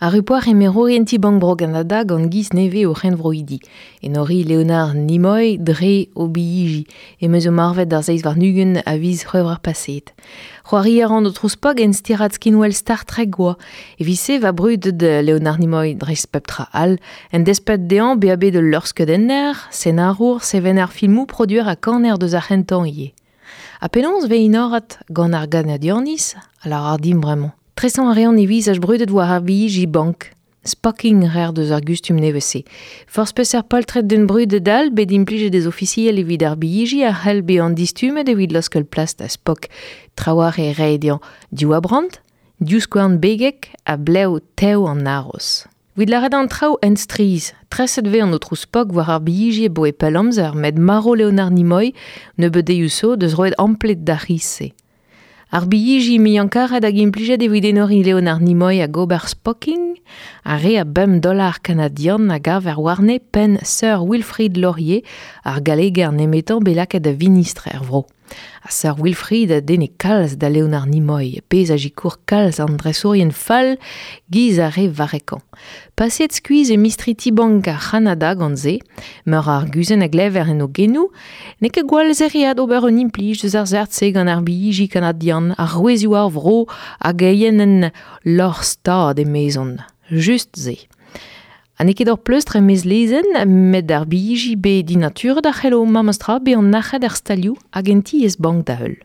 Ar upoar emerourien ti Bank Bro Canada gant giz nevez o c'henvroidi. Enori Leonard Nimoy dre o billiji, emeus o marvet d'ar zeiz war-nugen a viz c'hwevrer paset. C'hoari a ran o trouspog en stirad skinwel Star Trek oa. Evit-se va brud de Leonard Nimoy dreist pep tra all, en despet dezhañ bezañ bet ul luc'hskeudenner, senarour, sevener filmoù, produer ha kaner deus ar c'hentañ ivez. Ha penaos 'vez enoret gant ar Ganadianiz, a lavar dimp bremañ. Tresañ a reont e vizaj brudet war ar billiji bank. Spocking 'reer deus ar gustum nevez-se. Forzh peseurt poltred d'un brudet all bet implijet ez ofisiel evit ar billiji a c'hell bezañ distummet evit laoskel plas da Spock. Trawalc'h eo reiñ dezhañ div abrant, div skouarn begek ha blev tev an haroz. Evit lâret an traoù ent-strizh, treset 'vez an aotrou Spock war ar billiji abaoe pell amzer met marv Leonard Nimoy nebeut deioù zo deus roet ampled d'ar c'hiz-se. Ar billiji muiañ-karet hag implijet evit enoriñ Leonard Nimoy hag ober spocking, ar re a bemp dollar kanadian a gaver warne penn Sir Wilfrid Laurier, ar galleger nemetañ bet lakaet da vinistr er vro. Ha Sir Wilfrid a denne kalz da Leonard Nimoy, pezh a sikour kalz an dresourien fall giz ar re varrekañ. Paseet skuizh e mistri ti-bank ar C'hanada gant se, meur a arguzenn a glever en o genoù, n'eo ket gwall zereat ober un implij deus ar seurt-se gant ar billiji kanadian, arouezioù ar vro hag eienenn lorc'h stad emezont. Just se. Ha n'eo ket ur pleustr e-maez lezenn, met ar billiji bet dinaturet a c'hello memes tra bezañ nac'het er stalioù hag en tiez-bank da heul.